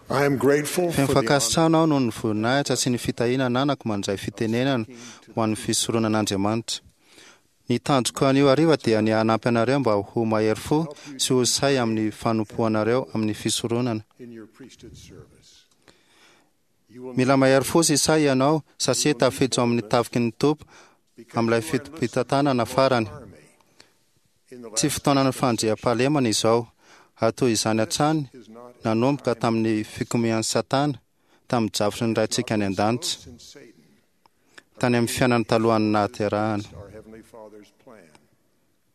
I am grateful Feno for the honor fankasitrahana aho noho ny voninahitra sy ny fitahiana ananako mandray fitenenana ho an'ny fisoronan'Andriamanitra. Ny tanjoko anio hariva dia ny hanampy anareo mba ho mahery fo sy ho sahy amin'ny fanompoanareo amin'ny fisoronana. in your priesthood service. You will Mila mahery fo sy sahy ianao satria tafiditra ao amin'ny tafiky ny Tompo because amin'ilay you are enlisted fitopitantanana farany. army in the Tsy last fotoanan'ny fandriampahalemana izao, ary toy izany hatrany is not nanomboka tamin'ny fikomian'i Satana tamin'ny drafitry ny Raintsika any an-danitra, since Satan tany amin'ny fiainany talohan'ny nahaterahana. our heavenly Father's plan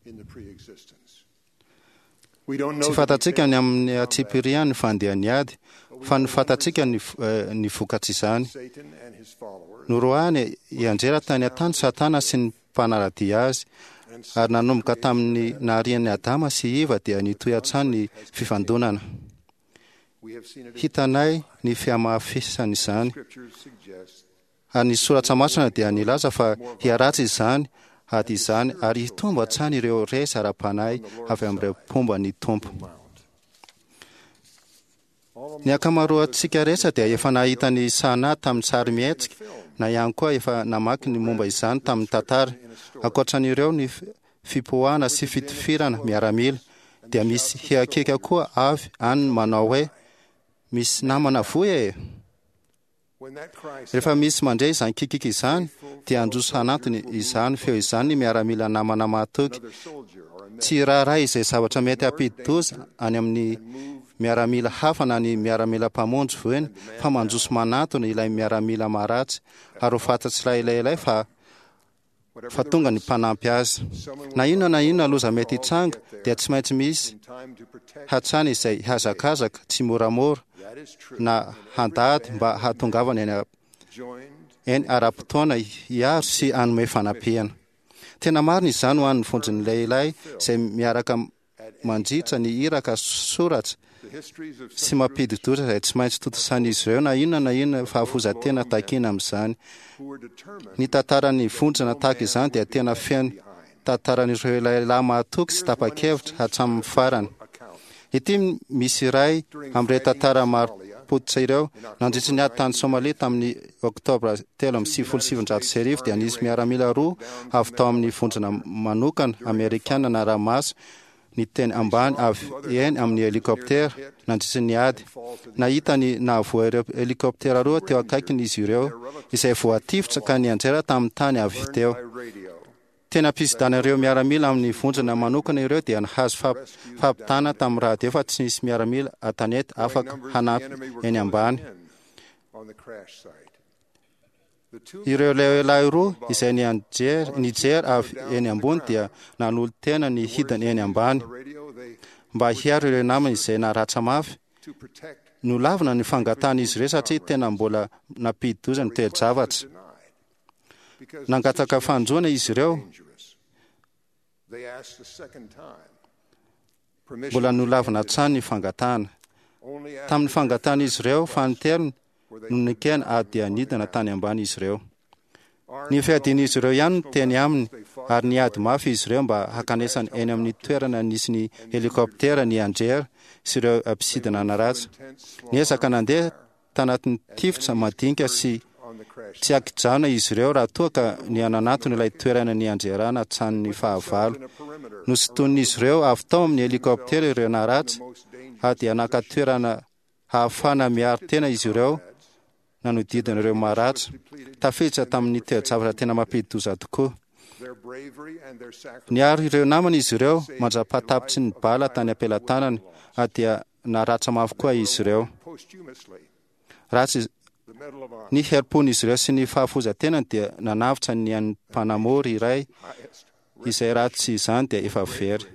in the pre-existence. We don't know Tsy the fantatsika ny details amin'ny antsipirian'ny fandehan'ny ady, fa ny fantatsika ny ny vokatr'izany. Satan and his followers Noroahany hianjera tany an-tany Satana sy ny mpanara-dia azy, and ary nanomboka tamin'ny naharian'i Adama sy Eva dia nitohy hatrany ny fifandonana. we have seen it in Hitanay ny fihamafisan'izany, scriptures suggest ary ny soratra masina dia nilaza fa hiharatsy izany ady izany ary hitombo hatrany ireo resy ara-panahy avy amin'ireo mpomba ny Tompo. mount. All Ny ankamaroantsika rehetra dia efa nahita ny sana tamin'ny sary mihetsika na ihany koa efa namaky ny momba izany tamin'ny tantara. Ankoatran'ireo ny fipoahana sy fitifirana miaramila dia misy hiakiaka koa avy any manao hoe misy namana voa e. when that cry Rehefa misy mandre izany kikiky izany dia handroso hanantony izany feo izany ny miaramila namana mahatoky. another soldier or a man Tsy raharaha izay zavatra mety hampidi-doza any amin'ny miaramila hafa na ny miaramila mpamonjy voina fa mandroso manantona ilay miaramila maharatsy ary ho fantatr'ilay lehilahy fa whatever fa the tonga ny risk, mpanampy azy. someone Na will inona na inona loza all mety hitranga get there dia tsy maintsy misy in time to protect hatrany izay hazakazaka tsy moramora that is true na in every handady band mba of hahatongavany any men joined eny ara-potoana hiaro sy hanome fanampiana. Tena marina izany ho an'ny vondron'ny lehilahy izay miaraka mandritra ny iraka soratra the histories of sy such groups mampidi-doza izay tsy maintsy tontosan'izy ireo na inona na inona fahafoizan-tena takiana amin'izany. who were determined Ny tantaran'ny vondrona tahaka izany dia tena feno behind tantaran'ireo lehilahy mahatoky sy tapa-kevitra hatramin'ny farany. account Ity misy iray amin'ireo tantara marim-pototra ireo. Nandritry ny ady tany Somalia tamin'ny oktobra 1993 dia nisy miaramila roa avy tao amin'ny vondrona manokana amerikana nara-maso ny teny ambany avy eny amin'ny helikoptera nandritry ny ady. Nahita ny nahavoa ireo helikoptera roa teo akaikiny izy ireo izay voatifitra ka nianjera tamin'ny tany avy teo. by radio Tena mpisidana ireo miaramila amin'ny vondrona manokana ireo dia nahazo fampitana tamin'ny radio fa tsy nisy miaramila an-tanety afaka numbers of the hanampy enemy were eny ambany. closing in on the crash site. The two Ireo lehilahy roa izay nijery avy eny ambony dia nanolo-tena ny hidiny eny ambany the radio they mba hiaro ireo namany izay naratra mafy. to protect Nolavina ny fangatan'izy ireo satria tena mbola nampidi-doza ny toe-javatra. denied because the Nangataka fanjoana izy ireo, dangerous. They asked the second time. Permission mbola nolavina hatrany ny fangatahana. only after Tamin'ny fangatan'izy ireo fanintelony were they no nekena ary dia nidina tany ambany izy ireo. armed Ny fiadian'izy ireo ihany no teny aminy ary niady mafy izy ireo mba hakanesany eny amin'ny toerana nisy ny helikoptera ny anjera sy ireo mpisidina naratsy. intense small Niezaka nandeha tanatin'ny tifitra madinika sy on the crash tsy ankijanona izy ireo raha toa ka niananatony ilay toerana nianjerana hatramin'ny fahavalo. in a perimeter Nosintonin'izy ireo avy tao amin'ny helikoptera ireo naratsy most dangerous ary dia naka toerana hahafahana miaro tena izy ireo nanodidina ireo maratra. Tafiditra tamin'ny toe-javatra tena mampidi-doza tokoa. their bravery and their sacrifice Niaro ireo namany izy ireo mandra-pahatapitry ny bala tany am-pelatanany ary dia naratra mafy koa izy ireo. posthumously Ratsy the Medal of Honor ny herim-pon'izy ireo sy ny fahafoizan-tenany dia nanavotra ny an'ny mpanamory iray highest izay raha tsy izany dia efa very.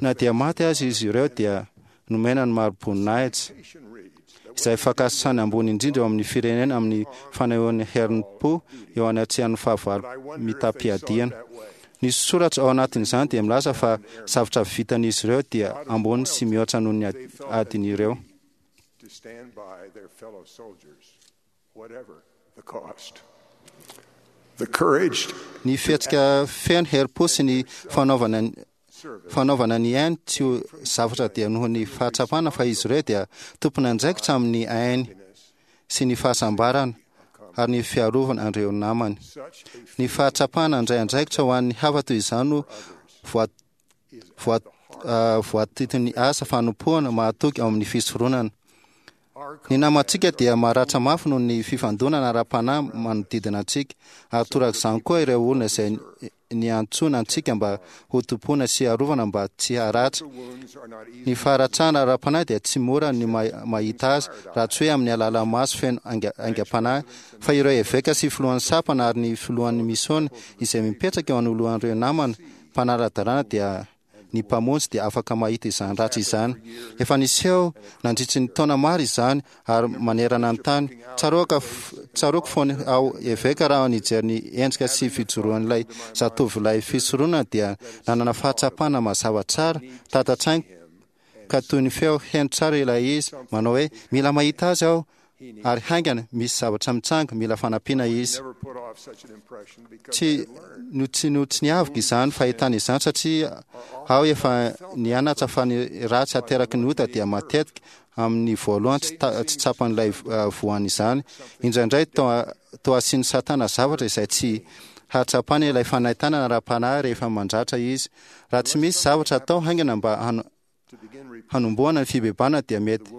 Na dia maty aza izy ireo dia nomena ny mari-boninahitra reputation reads that izay fankasitrahana ambony indrindra eo amin'ny firenena amin'ny fanehoan'ny herim-po eo anatrehan'ny fahavalo I wonder if they saw it mitam-piadiana. that way. Ny soratra ao anatin'izany dia milaza fa zavatra vitan'izy ireo dia ambony sy mihoatra noho ny adin'ireo. To stand by their fellow soldiers, whatever the cost. The courage Ny fihetsika feno herim-po sy ny fanaovana service fanaovana ny ainy tsy ho zavatra dia noho ny fahatsapana fa izy ireo dia tompon'andraikitra amin'ny ainy sy ny fahasambarana ary ny fiarovana an'ireo namany. Ny fahatsapana handray andraikitra ho an'ny hafa toy izany no voatitin'ny asa fanompoana mahatoky ao amin'ny fisoronana. Ny namantsika dia maratra mafy noho ny fifandonana ara-panahy manodidina antsika, ary torak'izany koa ireo olona izay niantsoana antsika mba hotompoina sy harovana mba tsy haratra. Ny faharatrana ara-panahy dia tsy mora ny mahita azy raha tsy hoe amin'ny alalan'ny maso feno aingam-panahy, fa ireo eveka sy filohan'ny sampana ary ny filohan'ny misiôna izay mipetraka eo anoloan'ireo namana mpanara-dalàna dia ny Mpamonjy dia afaka mahita izany ratsy izany. Efa niseho nandritry ny taona maro izany ary manerana ny tany. Tsaroako tsaroako fony aho eveka raha nijery ny endrika sy fijoroan'ilay zatovolahy fisoronana dia nanana fahatsapana mazava tsara tata-tsaiko ka toy ny feo heno tsara ilay izy manao hoe mila mahita azy aho ary haingana misy zavatra mitranga mila fanampiana izy. Tsy no tsy no tsy niaviko izany fahitana izany satria aho efa nianatra fa ny ratsy ateraky ny ota dia matetika amin'ny voalohany tsy tsy tsapan'ilay voan'izany. Indraindray toa toa asian'i Satana zavatra izay tsy hahatsapany ilay fanaintainana ara-panahy rehefa mandratra izy. Raha tsy misy zavatra atao haingana mba hanombohana ny fibebahana dia mety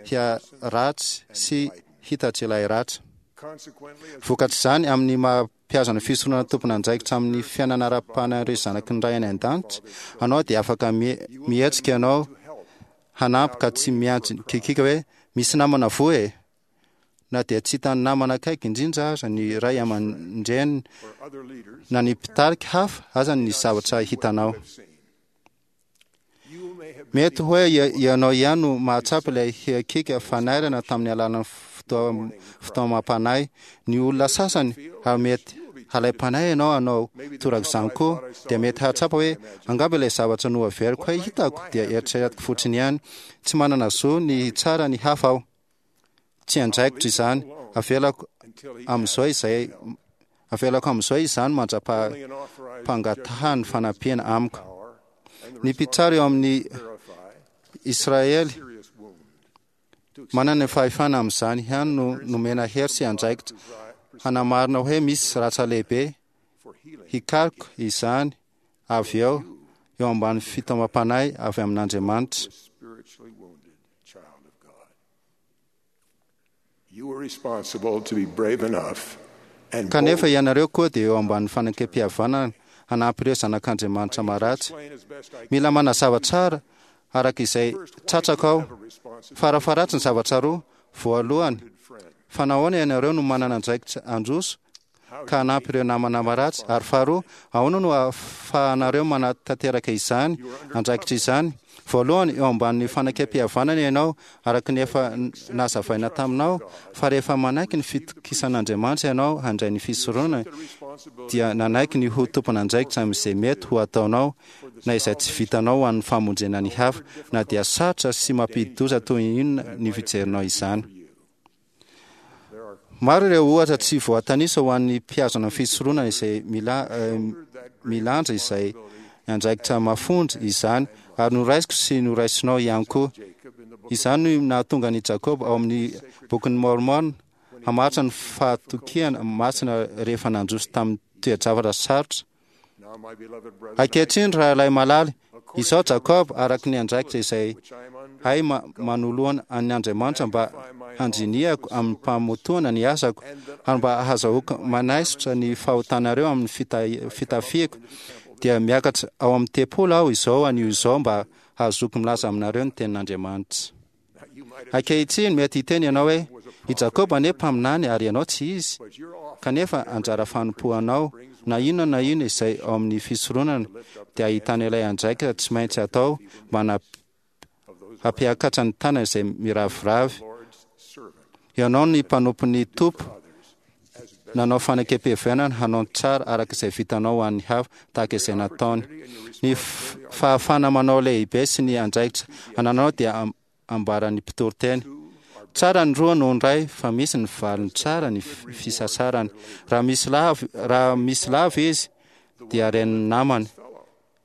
hiharatsy sy hitatra ilay ratra. Vokatr'izany, amin'ny maha mpihaza ny fisoronana tompon'andraikitra amin'ny fiainana ara-panahin'ireo zanaky ny Ray any An-danitra anao dia afaka mihetsika ianao hanampy ka tsy miantso kikiaka hoe misy namana voa e! Na dia tsy hitan'ny namana akaiky indrindra aza ny ray aman-dreny na ny mpitarika hafa aza ny zavatra hitanao. Mety hoe ianao ihany no mahatsapa ilay hiakiaka fanairana tamin'ny alalan'ny fitaomam-panahy. Ny olona sasany, ary mety halaim-panahy ianao hanao torak'izany koa, dia mety hahatsapa hoe angamba ilay zavatra noheveriko hoe hitako dia eritreretiko fotsiny ihany. Tsy manana zo ny hitsara ny hafa aho. Tsy andraikitro izany. Avelako amin'izao izay avelako amin'izao izany mandra-pangatahany fanampiana amiko. Ny mpitsara eo amin'ny Israely manana ny fahefana amin'izany ihany no nomena hery sy andraikitra hanamarina hoe misy ratra lehibe, hikaroka izany avy eo eo ambany fitaomam-panahy avy amin'Andriamanitra. Kanefa ianareo koa dia eo ambany fanekempihavanana hanampy ireo zanak'Andriamanitra maratsy. Mila manazava tsara araka izay tratrako aho. Farafaharatsy ny zavatra roa. Voalohany, fa nahoana ianareo no manana andraikitra handroso ka hanampy ireo namana maratsy? Ary faharoa, ahoana no ahafahanareo manatanteraka izany andraikitra izany? Voalohany, eo ambanin'ny fanekempihavanana ianao, araka ny efa nazavaina taminao, fa rehefa manaiky ny fitokisan'Andriamanitra ianao handray ny fisoronana, dia nanaiky ny ho tompon'andraikitra amin'izay mety ho ataonao na izay tsy vitanao ho an'ny famonjena ny hafa, na dia sarotra sy mampidi-doza toy inona ny fijerinao izany. Maro ireo ohatra tsy voatanisa ho an'ny mpihazona ny fisoronana izay milanja izay andraikitra mafonja izany, ary noraisiko sy noraisinao ihany koa. Izany no nahatonga an'i Jakoba ao amin'ny Bokin'i Môrmôna hamaritra ny fahatokiana masina rehefa nandroso tamin'ny toe-javatra sarotra. Ankehitriny, rahalahy malala, izaho Jakoba, araka ny andraikitra izay hay manoloana an' Andriamanitra mba handrinihako amim-pamotoana ny asako, ary mba hahazahoako manaisotra ny fahotanareo amin'ny fitafiako, dia miakatra ao amin'ny tempoly aho izao anio izao mba hahazoako milaza aminareo ny tenin'Andriamanitra. Ankehitriny, mety hiteny ianao hoe, I Jakoba anie mpaminany ary ianao tsy izy. Kanefa anjara fanompoanao, na inona na inona izay ao amin'ny fisoronana, dia ahitana ilay andraikitra tsy maintsy atao mba hampiakatra ny tanana izay miraviravy. Ianao ny mpanompon'ny Tompo, nanao fanekempihavanana hanao ny tsara araka izay vitanao ho an'ny hafa, tahaka izay nataony. Ny fahafahana manao lehibe sy ny andraikitra anananao dia ambaran'ny mpitoriteny. Tsara ny roa noho ny iray, fa misy ny valiny tsara ny fisasarany. Raha misy lavo, raha misy lavo izy, dia ren'ny namany.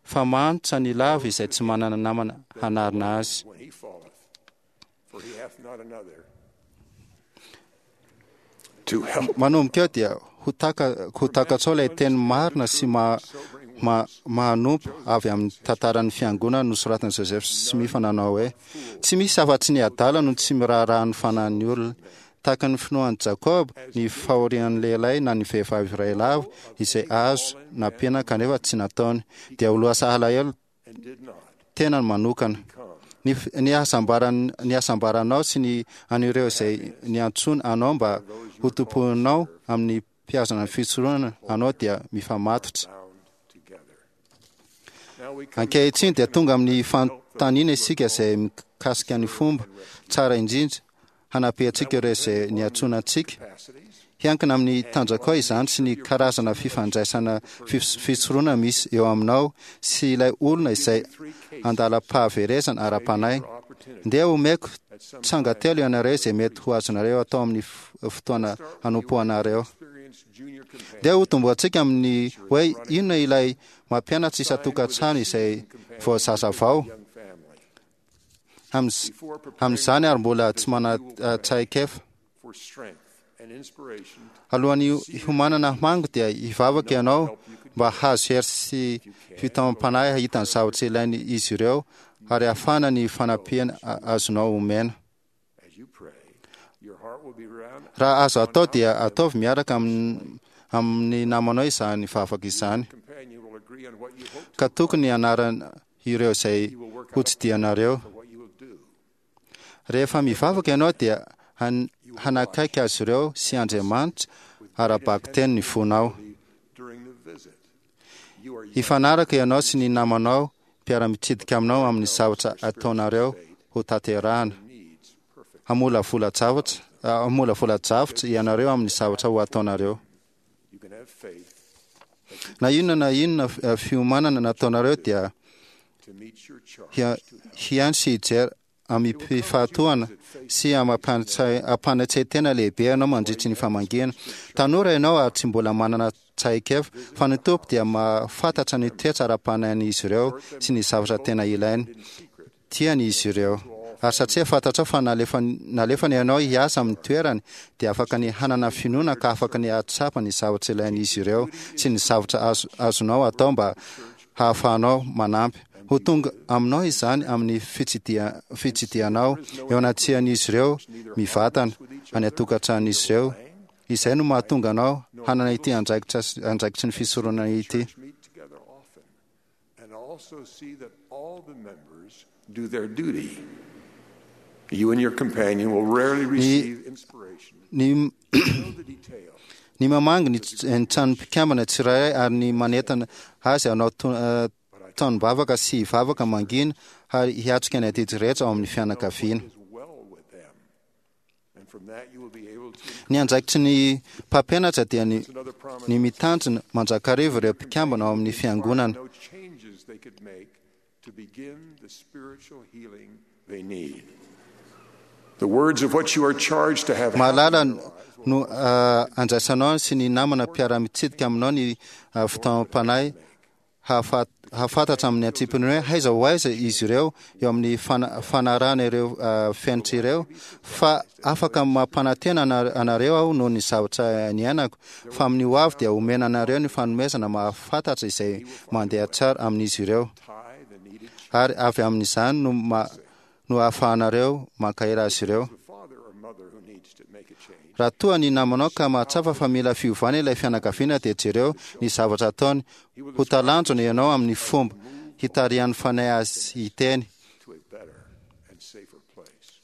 Fa manitra ny lavo izay tsy manana namana hanarina azy. When he falleth, for he hath not another to help. Manomboka eo dia ho taka ho takatrao ilay teny marina sy ma, ma, mahanompo avy amin'ny tantaran'ny fiangonana nosoratan'i Joseph Smith nanao hoe: Tsy misy afa-tsy ny adala no tsy miraharaha ny fanahin'ny olona. Tahaka ny finoan'i Jakoba, ny fahorian'ny lehilahy na ny vehivavy iray lavo izay azo nampiana kanefa tsy nataony, dia ho lasa alahelo And did not tenany manokana. come. Ny, ny hasambaran- ny hasambaranao sy ny an'ireo izay niantsoana anao mba ho tompoinao amin'ny mpihazona ny fisoronana anao dia mifamatotra. Bound together. Now we come Ankehitriny dia tonga amin'ny fanontaniana isika izay mikasika ny fomba tsara indrindra hanampiantsika ireo izay niantsoana antsika. capacities Hiankina amin'ny tanjakao izany sy ny karazana fifandraisana fisoronana misy eo aminao sy ilay olona izay andalam-pahaverezana ara-panahy. Ndeha omeko tsanga telo ianareo izay mety ho azonareo atao amin'ny fotoana hanompoanareo. experienced junior companion Ndeha hotombohantsika amin'ny hoe inona ilay mampianatra isan-tokantrano izay vao zazavao young family amin'izany ary mbola tsy mana-tsaikefa. for strength and inspiration Alohan'ny hiomanana hamango dia hivavaka ianao mba hahazo hery sy fitaomam-panahy hahita ny zavatra ilainy izy ireo ary hahafahana ny fanampiana azonao omena. as you pray. Your heart will be round Raha azo atao dia ataovy miaraka amin'ny namanao izany vavaka izany. companion will agree on what you hope Ka tokony hanarana ireo izay hotsidihanareo. for what you will do. Rehefa mivavaka ianao dia hanakaiky azy ireo sy Andriamanitra ara-bakiteny ny fonao. During the visit, you are Hifanaraka ianao sy ny namanao mpiara-mitsidika aminao amin'ny zavatra ataonareo ho tanterahana. needs perfect. Hamolavola-javatra hamolavola-javatra ianareo amin'ny zavatra ho ataonareo. You can have faith Na inona na inona fiomanana nataonareo dia to meet your charge. hihaino sy hijery amim-pifahatohana sy ampanatsaitena lehibe ianao mandritry ny famangiana. Tanora ianao ary tsy mbola manana tsaikefa, fa ny Tompo dia mahafantatra ny toetra ara-panahin'izy ireo sy ny zavatra tena ilainy. Tiany izy ireo. Ary satria fantatrao fa nalefany ianao hiasa amin'ny toerany, dia afaka ny hanana finoana ka afaka ny hahatsapa ny zavatra ilain'izy ireo sy ny zavatra azonao atao mba hahafahanao manampy. Ho tonga aminao izany amin'ny fitsidihanao eo anatrehan'izy ireo mivantana any an-tokantranon'izy ireo. Izay no mahatonga anao hanana ity andraikitry ny fisoronana ity. Church meet together often and also see that all the members do their duty. You and your companion will rarely receive inspiration. Ny Know the details. ny mamangy ny trano mpikambana tsirairay ary ny manentana azy hanao tanom-bavaka sy hivavaka mangina ary hiatrika ny adidy rehetra ao amin'ny fianakaviana. Is well with them. And from that you will be able to Ny andraikitry ny mpampianatra dia ny another promise ny mitandrina mandrakariva ireo mpikambana ao amin'ny fiangonana. no changes they could make to begin the spiritual healing they need. The words of what you are charged to have Mahalala happen in your lives will no andraisanao sy ny namana mpiara-mitsidika aminao ny fitaomam-panahy hahafantatra amin'ny antsipiriany hoe aiza ho aiza izy ireo eo amin'ny fanarahana ireo fenitra ireo, fa afaka mampanantena anareo aho noho ny zavatra niainako, fa amin'ny ho avy dia omena anareo ny fanomezana mahafantatra izay mandeha tsara amin'izy ireo, tie the needed ary avy amin'izany no no ahafahanareo mankahery azy ireo. the father or mother who needs to make a change. Raha toa ny namanao ka mahatsapa fa mila fiovana ilay fianakaviana dia jereo ny zavatra ataony. Ho talanjona ianao amin'ny fomba hitarihan'ny fanahy azy hiteny. to a better and safer place.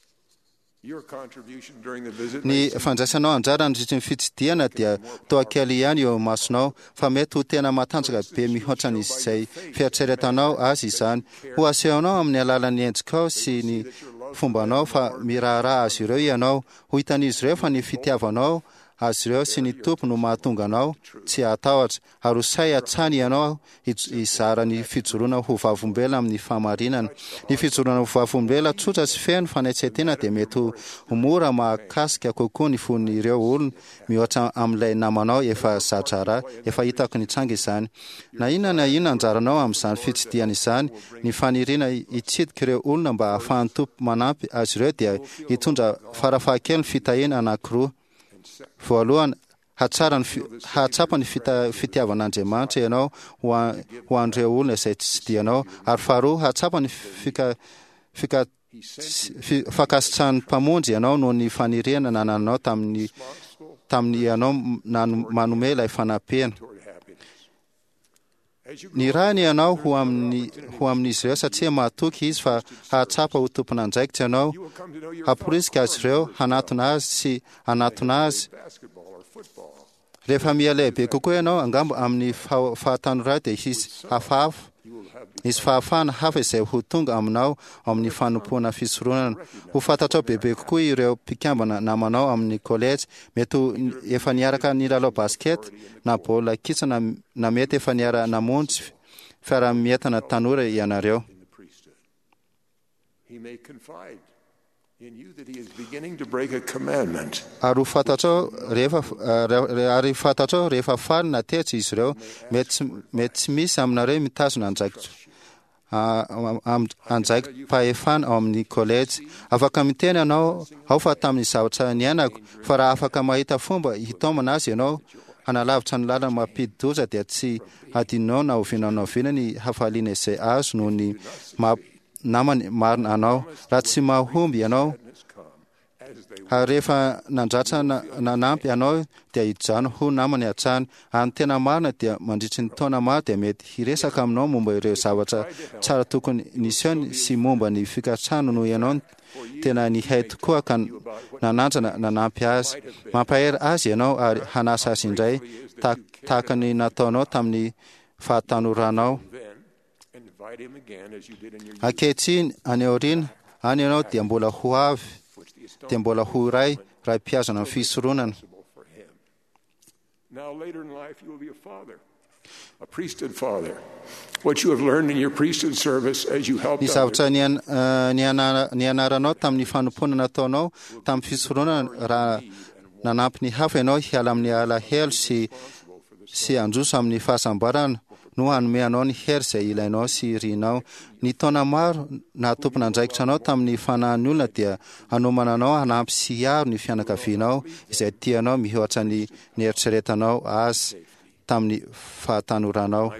Your contribution during the visit Ny may seem fandraisanao anjara nandritry ny fitsidihana dia toa kely ihany eo imasonao, fa mety ho tena matanjaka be mihoatra izay fieritreretanao azy izany. Ho asehonao amin'ny alalan'ny endrikao sy ny fombanao fa miraharaha azy ireo ianao. Ho hitan'izy ireo fa ny fitiavanao azy ireo sy ny Tompo no mahatonga anao tsy hatahotra, ary ho sahy hatrany ianao hizara ny fijoroana ho vavolombelona amin'ny fahamarinana. Ny fijoroana ho vavolombelona tsotra sy feno fanetren-tena dia mety ho mora mahakasika kokoa ny fon'ireo olona mihoatra amin'ilay namanao efa za-draharaha. Efa hitako nitranga izany. Na inona na inona anjaranao amin'izany fitsidihana izany, ny faniriana hitsidika ireo olona mba hahafahan'ny Tompo manampy azy ireo dia hitondra farafahakeliny fitahiana anankiroa. Voalohany, hatsara ny hahatsapa ny fitiavan'Andriamanitra ianao ho an'ireo olona izay tsidihanao, ary faharoa, hahatsapa ny fankasitrahan'ny Mpamonjy ianao noho ny faniriana nanananao tamin'ny tamin'ny ianao manome ilay fanampiana. Nirahiny ianao ho amin'ny ho amin'izy ireo satria mahatoky izy fa hahatsapa ho tompon'andraikitra ianao, hamporisika azy ireo hanatona azy sy hanatona azy. Rehefa miha-lehibe kokoa ianao, angamba amin'ny fahatanorana dia hisy hafahafa, hisy fahafahana hafa izay ho tonga aminao ao amin'ny fanompoana fisoronana. Ho fantatrao bebe kokoa ireo mpikambana namanao amin'ny kolejy. Mety ho efa niaraka nilalao basket na baolina kitra na mety efa niara-namonjy fiaraha-mientana tanora ianareo. Ary ho fantatrao rehefa ary fantatrao rehefa faly na tezitra izy ireo. Mety mety tsy misy aminareo mitazona andraikitra andraiki-pahefana ao amin'ny kolejy. Afaka miteny ianao ao fa tamin'ny zavatra niainako fa raha afaka mahita fomba hitaomana azy ianao hanalavitra ny lalana mampidi-doza dia tsy hadinonao na oviana na oviana ny hafaliana izay azo noho ny maha namany marina anao. Raha tsy mahomby ianao, ary rehefa nandratra nanampy anao dia hijanona ho namany hatrany. Ary ny tena marina dia mandritry ny taona maro dia mety hiresaka aminao momba ireo zavatra tsara tokony nisehony sy momba ny fikatsahany noho ianao tena nihay tokoa ka nanandrana nanampy azy. Mampahery azy ianao ary hanasa azy indray tahaka ny nataonao tamin'ny fahatanoranao. Ankehitriny, any aoriana any ianao dia mbola ho avy, dia mbola ho iray raha mpihazona ny fisoronana. Ny zavatra nianaranao tamin'ny fanompoana nataonao tamin'ny fisoronana raha nanampy ny hafa ianao hiala amin'ny alahelo sy sy handroso amin'ny fahasambarana no hanome anao ny hery izay ilainao sy irinao. Ny taona maro naha tompon'andraikitra anao tamin'ny fanahin'ny olona dia hanomana anao hanampy sy hiaro ny fianakavianao izay tianao mihoatra ny nieritreretanao azy tamin'ny fahatanoranao.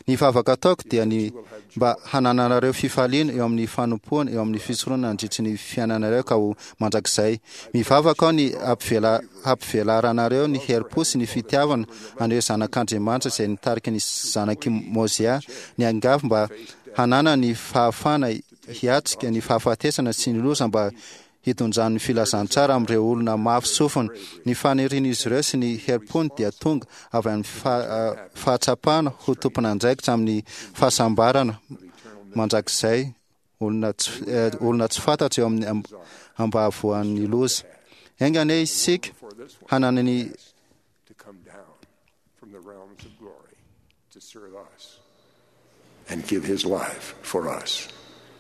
Ny vavaka ataoko dia ny mba hanananareo fifaliana eo amin'ny fanompoana eo amin'ny fisoronana nandritry ny fiainanareo ka ho mandrakizay. Mivavaka aho ny hampivelaranareo ny herim-po sy ny fitiavana an'ireo zanak'Andriamanitra izay nitarika ny zanak'i Môzià niangavy mba hanana ny fahafahana hiatrika ny fahafatesana sy ny loza mba hitondrany ny filazantsara amin'ireo olona mafy sofina. Ny fanirian'izy ireo sy ny herim-pony dia tonga avy amin'ny fahatsapana ho tompon'andraikitra amin'ny fahasambarana mandrakizay olona tsy, olona tsy fantatra eo amin'ny ambahavoan'ny loza. Enga anie isika hanana ny and give his life for us.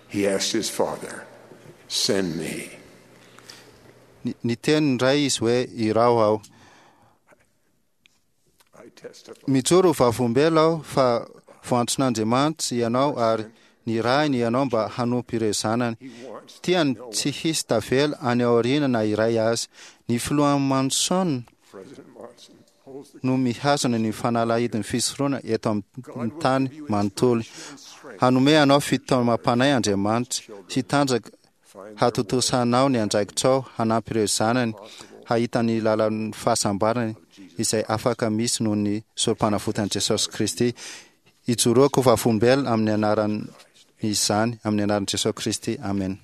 He asked his father, Send me. Niteny ny Ray izy hoe, Iraho aho. Mijoro ho vavolombelona aho fa voantson'Andriamanitra ianao ary nirahiny ianao mba hanompo ireo zanany. Tiany tsy hisy tavela any aoriana na iray aza. Ny filoha Monson no mihazona ny fanalahidin'ny fisoronana eto amin'ny tany manontolo. Hanome anao fitaomam-panahy Andriamanitra, hitanjaka hatontosanao ny andraikitrao hanampy ireo zanany hahita ny lalan'ny fahasambarany izay afaka misy noho ny sorom-panavotan'i Jesosy Kristy. Ijoroako ho vavolombelona amin'ny anaran'izany, amin'ny anaran'i Jesosy Kristy. Amen.